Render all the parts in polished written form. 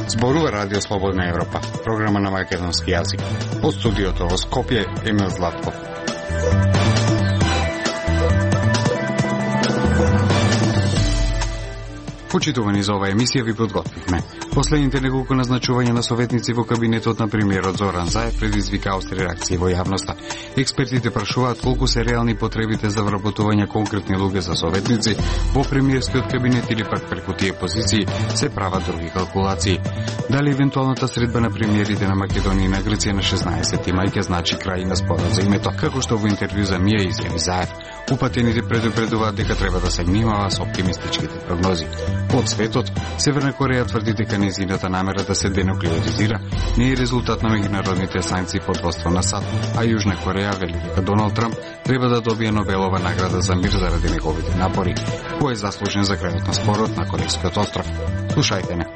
Зборува Радио Слободна Европа, програма на македонски јазик. Од студиото во Скопје, Емил Златков. Почитувани за оваа емисија ви подготвивме. Последните неколку назначувања на советници во кабинетот на премиерот Зоран Заев предизвика остри реакции во јавноста. Експертите прашуваат колку се реални потребите за вработување конкретни луѓе за советници во премиерскиот кабинет или пак преку тие позиции се прават други калкулации. Дали евентуалната средба на премиерите на Македонија и на Грција на 16 мај ќе значи крај на спорот за името, како што во интервју за МИА изјави Заев. Упатените предупредуваат дека треба да се внимава со оптимистичките прогнози. Од светот, Северна Кореја тврди дека нејзината намера да се денуклеаризира не е резултат на меѓународните санкции под воство на САД, а Јужна Кореја вели дека Доналд Трамп треба да добие Нобелова награда за мир заради неговите напори, кој е заслужен за крајот на спорот на Корейскиот остров. Слушајте не.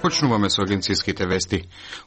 Почнуваме со агенцијските вести.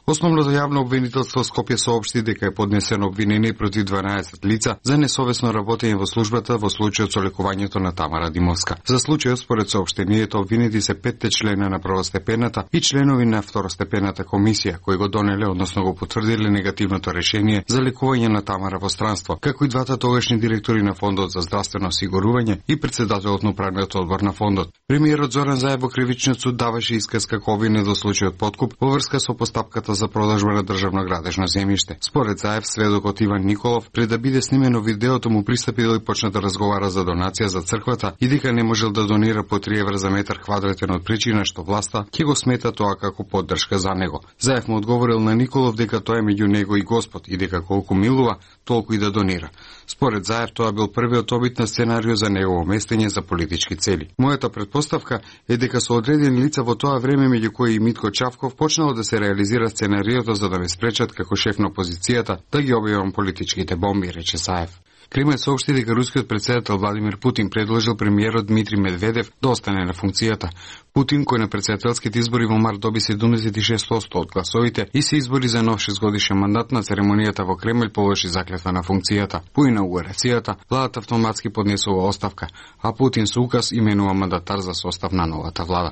Основното јавно обвинителство Скопје соопшти дека е поднесено обвинение против 12 лица за несовесно работење во службата во случајот со лекувањето на Тамара Димовска. За случајот според соопштението обвинети се 5 члена на првостепената и членови на второстепената комисија кои го донеле, односно го потврдиле негативното решение за лекување на Тамара во странство, како и двата тогашни директори на Фондот за здравствено осигурување и председателот на управниот одбор на фондот. Премиерот Зоран Заев во кривичниот суд даваше исказ како обвинет во случајот подкуп во врска со постапката за продажба на државно градежно земјиште. Според Заев, сведокот Иван Николов, пред да биде снимено видеото, му пристапил и почна да разговара за донација за црквата и дека не можел да донира по 3 евра за метар квадратен од причина што власта ќе го смета тоа како поддршка за него. Заев му одговорил на Николов дека тоа е меѓу него и Господ и дека колку милува, толку и да донира. Според Заев, тоа бил првиот обид на сценарио за негово местење за политички цели. Мојата предпоставка е дека со одредени лица во тоа време, меѓу кои и Митко Чавков, почнало да се реализира сценариото за да ме спречат како шеф на опозицијата да ги објавам политичките бомби, рече Заев. Кремљ соопшти дека рускиот председател Владимир Путин предложил премиерот Дмитрий Медведев да остане на функцијата. Путин, кој на председателските избори во март доби 76% од гласовите и се избори за нов 6-годишен мандат, на церемонијата во Кремљ положи заклетва на функцијата. По инаугурацијата, владата автоматски поднесува оставка, а Путин со указ именува мандатар за состав на новата влада.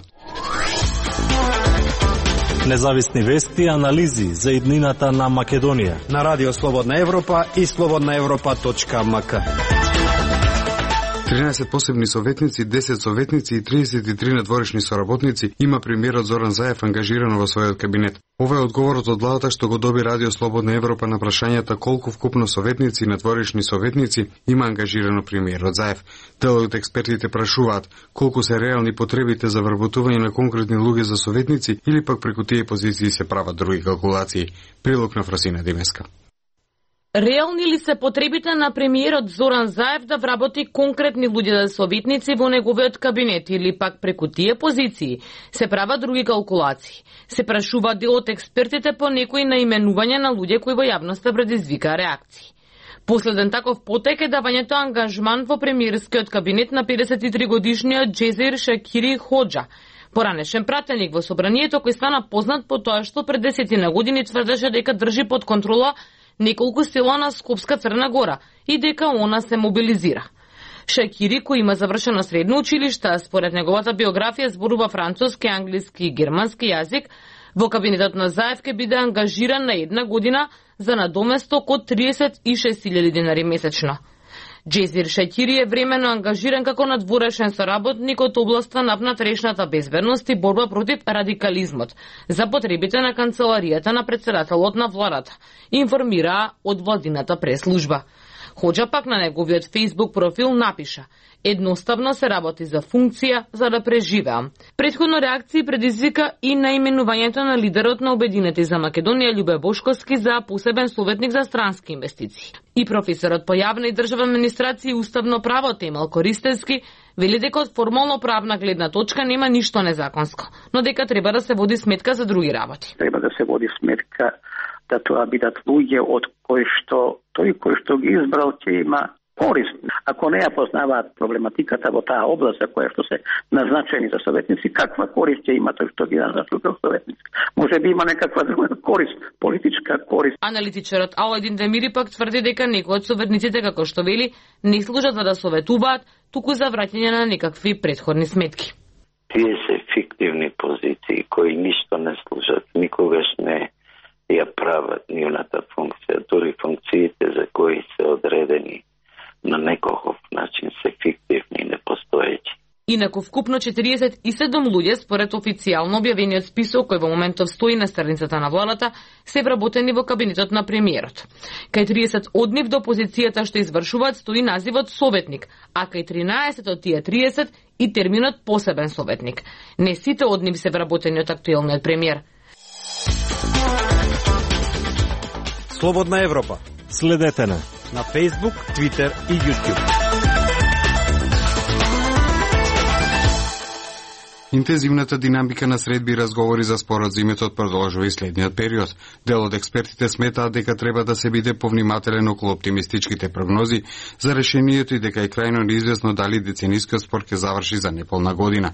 Независни вести и анализи за иднината на Македонија на Радио Слободна Европа и slobodnaevropa.mk. 13 посебни советници, 10 советници и 33 надворешни соработници има премиерот Зоран Заев ангажирано во својот кабинет. Ова е одговорот од владата што го доби Радио Слободна Европа на прашањата колку вкупно советници и надворешни советници има ангажирано премиерот Заев. Дел од експертите прашуваат колку се реални потребите за вработување на конкретни луѓе за советници или пак преку тие позиции се прават други калкулации. Прилог на Фросина Димеска. Реални ли се потребите на премиерот Зоран Заев да вработи конкретни луѓе за советници во неговиот кабинет или пак преку тие позиции се прават други калкулации? Се прашува дел од експертите по некои наименувања на луѓе кои во јавноста предизвика реакции. Последен таков потек е давањето ангажман во премиерскиот кабинет на 53 годишниот Джезир Шакири Ходжа, поранешен пратеник во собранието кој стана познат по тоа што пред 10 години тврдеше дека држи под контрола неколку села на Скопска Црна Гора и дека она се мобилизира. Шакири, кој има завршено средно училиште, според неговата биографија зборува француски, англиски и германски јазик, во кабинетот на Заев ќе биде ангажиран на 1 година за надоместок од 36.000 денари месечно. Джезир Шакири е времено ангажиран како надворешен соработник од областа на внатрешната безбедност и борба против радикализмот за потребите на канцеларијата на председателот на владата, информираа од владината преслужба. Ходжа пак на неговиот Facebook профил напиша: едноставно се работи за функција за да преживеам. Претходно реакции предизвика и наименувањето на лидерот на Обединети за Македонија Љубе Бошковски за посебен советник за странски инвестиции. И професорот по јавна и државна администрација и уставно право Темел Користевски вели дека од формално правна гледна точка нема ништо незаконско, но дека треба да се води сметка за други работи. Треба да се води сметка да тоа бидат луѓе од кои што тој кој што ги избрал ќе има корист. Ако не ја познаваат проблематиката во таа област за која што се назначени за советници, каква корист ќе има тој што ги назначува советници? Може би има некаква друга корист, политичка корист. Аналитичарот Аладин Демири пак тврди дека некои од советниците, како што вели, не служат за да советуваат, туку за враќање на некакви претходни сметки. Тие се фиктивни позиции кои ништо не служат, никогаш не ја прават нивната функција, дури функциите за кои се одредени на некој начин се фиктивни и непостоечи. Инаку вкупно 47 луѓе, според официјално објавениот список кој во моментов стои на страницата на владата, се вработени во кабинетот на премиерот. Кај 30 од нив до позицијата што извршуваат стои називот советник, а кај 13 од тие 30 и терминот посебен советник. Не сите од нив се вработени од актуелниот премиер. Слободна Европа. Следете на Facebook, Twitter и YouTube. Интензивната динамика на средби и разговори за спорот за името продолжува и следниот период. Дел од експертите сметаат дека треба да се биде повнимателен околу оптимистичките прогнози за решението и дека е крајно неизвестно дали деценискиот спор ќе заврши за неполна година.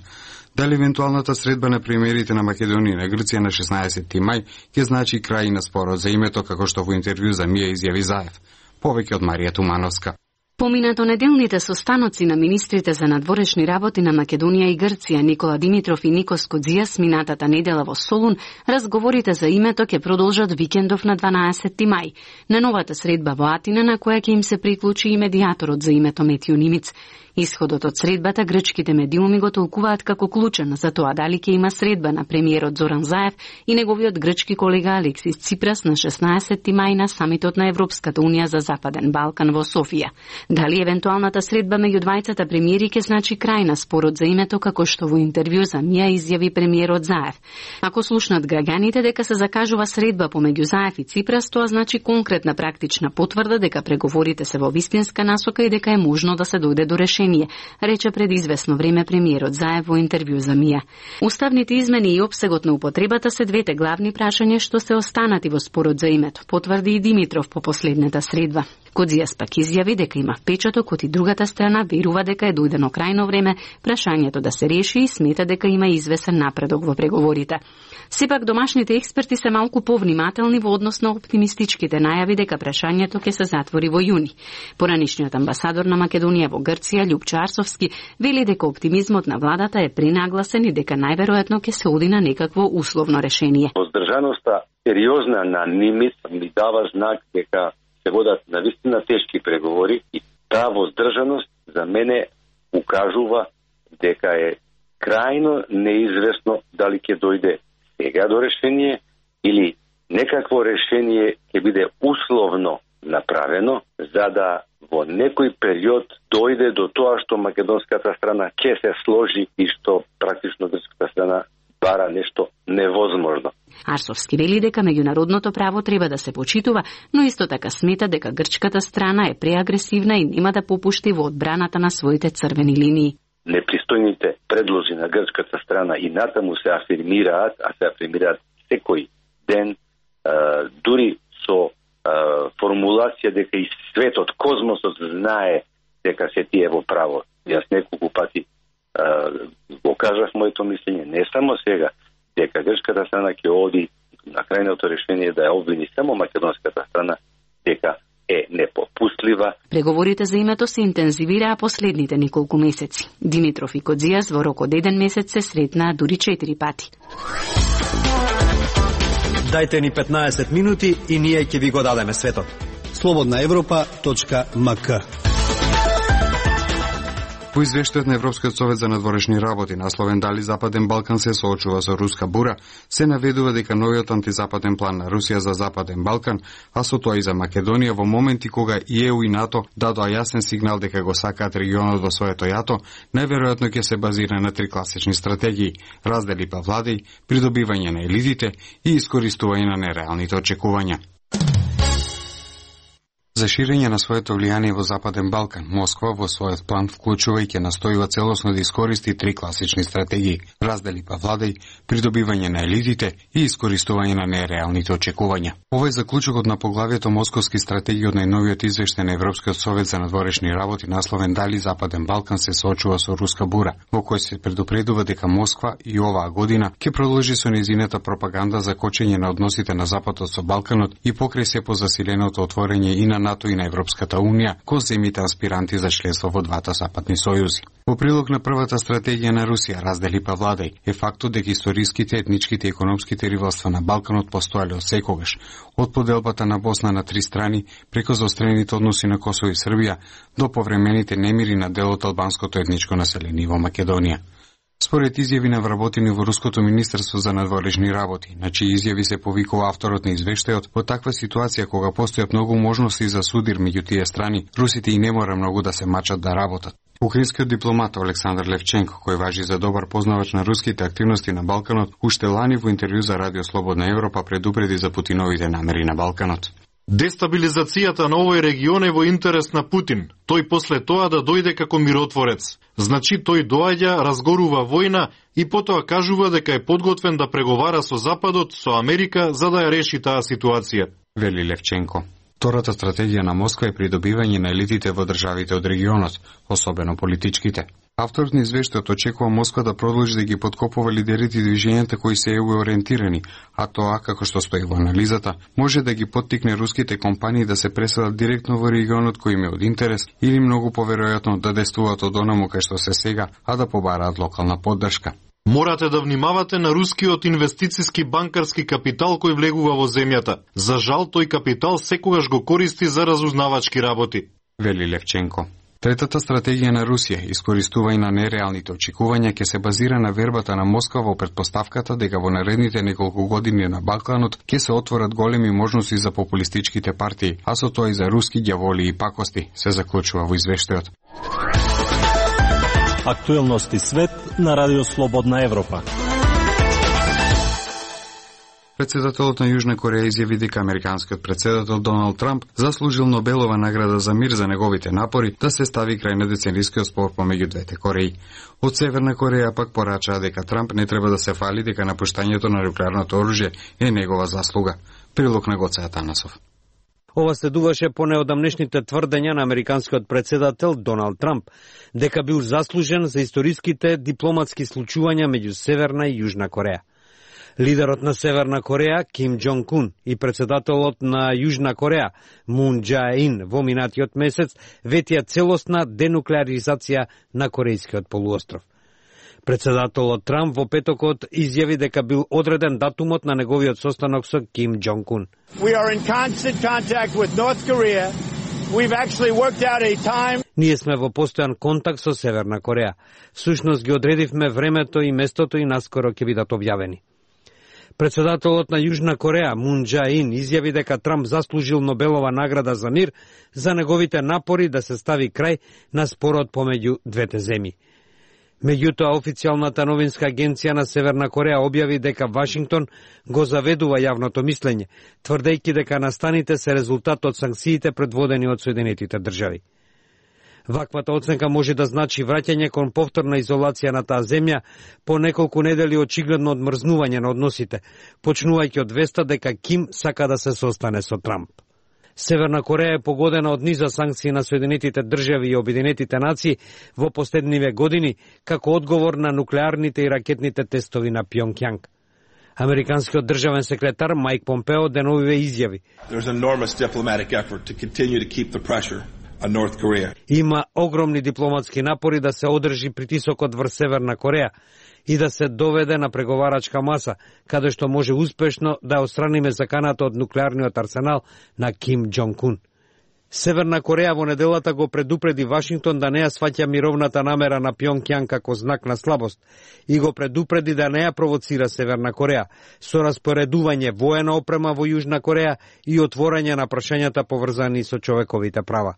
Дали евентуалната средба на премиерите на Македонија и на Грција на 16 мај ќе значи крај на спорот за името, како што во интервју за Мија изјави Заев. Повеќе од Марија Тумановска. Поминато неделните состаноци на министрите за надворешни работи на Македонија и Грција Никола Димитров и Никос Кодзијас минатата недела во Солун, разговорите за името ќе продолжат викендов на 12 мај. На новата средба во Атина на која ќе им се приклучи и медијаторот за името Метио Нимиц. Исходот од средбата грчките медиуми го толкуваат како клучен за тоа дали ќе има средба на премиерот Зоран Заев и неговиот грчки колега Алексис Ципрас на 16 мај на самитот на Европската унија за Западен Балкан во Софија. Дали евентуалната средба меѓу двајцата премиери ќе значи крај на спорот за името, како што во интервју за Мија изјави премиерот Заев. Ако слушнат граѓаните дека се закажува средба помеѓу Заев и Ципрас, тоа значи конкретна практична потврда дека преговорите се во вистинска насока и дека е можно да се дојде до решение, рече пред известно време премиерот Заев во интервју за Мија. Уставните измени и опсегот на употребата се двете главни прашања што се останати во спорот за името, потврди и Димитров по последната средба. Кодзијас пак изјави дека има впечаток од и другата страна верува дека е дојдено крајно време прашањето да се реши и смета дека има извесен напредок во преговорите. Сепак домашните експерти се малку повнимателни во однос на оптимистичките најави дека прашањето ќе се затвори во јуни. Поранишниот амбасадор на Македонија во Грција Љупчо Арсовски вели дека оптимизмот на владата е пренагласен и дека најверојатно ќе се оди на некакво условно решение. Воздржаноста сериозна на Нимиц ми дава знак дека се водат навистина тешки преговори и таа воздржаност за мене укажува дека е крајно неизвестно дали ќе дојде сега до решение или некакво решение ќе биде условно направено за да во некој период дојде до тоа што македонската страна ќе се сложи и што практично грчката страна бара нешто невозможно. Арсовски вели дека меѓународното право треба да се почитува, но исто така смета дека грчката страна е преагресивна и нема да попушти во одбраната на своите црвени линии. Непристојните предлози на грчката страна и натаму се афирмираат, секој ден, дури со формулација дека и светот, космосот знае дека се тие во право. Јас неколку пати го кажав моето мислење, не само сега, дека грчката страна ќе оди на крајното решение да ја обвини само македонската страна, дека е непопустлива. Преговорите за името се интензивираа последните неколку месеци. Димитров и Кодзијас во рок од 1 месец се сретнаа дури 4 пати. Дајте ни 15 минути и ние ќе ви го дадеме светот. slobodnaevropa.mk. По извештајот на Европскиот совет за надворешни работи, насловен дали Западен Балкан се соочува со руска бура, се наведува дека новиот антизападен план на Русија за Западен Балкан, а со тоа и за Македонија во моменти кога и ЕУ и НАТО дадоа јасен сигнал дека го сакаат регионот во своето јато, најверојатно ќе се базира на 3 класични стратегии: раздели па владеј, придобивање на елитите и искористување на нереалните очекувања. За ширење на своето влијание во Западен Балкан, Москва во својот план вклучува и ќе настојува целосно да искористи три класични стратегии: раздели па владај, придобивање на елитите и искористување на нереалните очекувања. Ова е заклучокот на поглавието Московски стратегии од најновиот извештај на Европскиот совет за надворешни работи насловен Дали Западен Балкан се соочува со руска бура, во кој се предупредува дека Москва и оваа година ќе продолжи со нејзината пропаганда за кочење на односите на Западот со Балканот и покрај се по засиленото отворање и на НАТО и на Европската Унија кон земите аспиранти за членство во двата западни сојузи. Во прилог на првата стратегија на Русија, раздели па владај, е фактот дека историските, етничките и економските ривалства на Балканот постоеле од секогаш, од поделбата на Босна на три страни, преку заострените односи на Косово и Србија, до повремените немири на дел од албанското етничко население во Македонија. Според изјави на вработени во Руското министерство за надворешни работи, на чии изјави се повикува авторот на извештајот, во таква ситуација кога постојат многу можности за судир меѓу тие страни, русите и не мора многу да се мачат да работат. Украинскиот дипломат Александар Левченко, кој важи за добар познавач на руските активности на Балканот, уште лани во интервју за Радио Слободна Европа предупреди за Путиновите намери на Балканот. Дестабилизацијата на овој регион е во интерес на Путин. Тој после тоа да дојде како миротворец. Значи тој доаѓа, разгорува војна и потоа кажува дека е подготвен да преговара со Западот, со Америка, за да ја реши таа ситуација, вели Левченко. Втората стратегија на Москва е придобивање на елитите во државите од регионот, особено политичките. Авторот на извештајот очекува Москва да продолжи да ги подкопува лидерите и движењата кои се EU ориентирани, а тоа, како што стои во анализата, може да ги поттикне руските компании да се преселат директно во регионот кој им е од интерес или многу поверојатно да действуваат од онаму кај што се сега, а да побараат локална поддршка. Морате да внимавате на рускиот инвестициски банкарски капитал кој влегува во земјата. За жал, тој капитал секогаш го користи за разузнавачки работи, вели Левченко. Третата стратегија на Русија, искористување на нереалните очекувања, ќе се базира на вербата на Москва во претпоставката дека во наредните неколку години на Балканот ќе се отворат големи можности за популистичките партии, а со тоа и за руски ѓаволи и пакости, се заклучува во извештајот. Актуелности свет на Радио Слободна Европа. Председателот на Јужна Кореја изјави дека американскиот председател Доналд Трамп заслужил Нобелова награда за мир за неговите напори да се стави крај на деценискиот спор помеѓу двете Кореи. Од Северна Кореја пак порачаа дека Трамп не треба да се фали дека напуштањето на нуклеарното оружје е негова заслуга. Прилог на Гоце Атанасов. Ова следуваше по неодамнешните тврдења на американскиот председател Доналд Трамп дека бил заслужен за историските дипломатски случувања меѓу Северна и Јужна Кореја. Лидерот на Северна Кореја, Ким Џонг Ун, и председателот на Јужна Кореја, Мун Џаe Ин, во минатиот месец ветија целосна денуклеаризација на Корејскиот полуостров. Председателот Трамп во петокот изјави дека бил одреден датумот на неговиот состанок со Ким Џонг Ун. Ние сме во постојан контакт со Северна Кореја. Всушност ги одредивме времето и местото и наскоро ќе бидат објавени. Председателот на Јужна Кореја, Мун Џаe Ин, изјави дека Трамп заслужил Нобелова награда за мир за неговите напори да се стави крај на спорот помеѓу двете земји. Меѓутоа, официјалната новинска агенција на Северна Кореја објави дека Вашингтон го заведува јавното мислење, тврдејќи дека настаните се резултат од санкциите предводени од Соединетите држави. Ваквата оценка може да значи враќање кон повторна изолација на таа земја по неколку недели очигледно одмрзнување на односите, почнувајќи од веста дека Ким сака да се состане со Трамп. Северна Кореја е погодена од низа санкции на Соединетите држави и Обединетите нации во последниве години како одговор на нуклеарните и ракетните тестови на Пјонгјанг. Американскиот државен секретар Мајк Помпео деновиве изјави: има огромни дипломатски напори да се одржи притисокот врз Северна Кореја и да се доведе на преговарачка маса, каде што може успешно да отстраниме заканата од нуклеарниот арсенал на Ким Џонг Ун. Северна Кореја во неделата го предупреди Вашингтон да не ја сваќа мировната намера на Пјонгјанг како знак на слабост и го предупреди да не ја провоцира Северна Кореја со распоредување воена опрема во Јужна Кореја и отворање на прашањата поврзани со човековите права.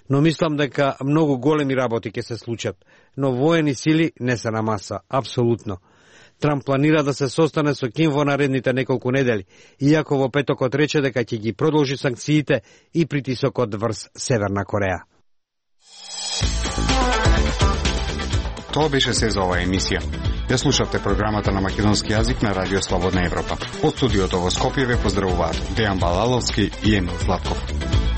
Но мислам дека многу големи работи ќе се случат, но воени сили не се на маса, апсолутно. Трамп планира да се состане со Ким во наредните неколку недели, иако во петокот рече дека ќе ги продолжи санкциите и притисокот врз Северна Кореја. Тоа беше се за оваа емисија. Ја слушавте програмата на македонски јазик на Радио Слободна Европа. Од студиото во Скопје ве поздравуваат Дејан Балаловски и Емил Златков.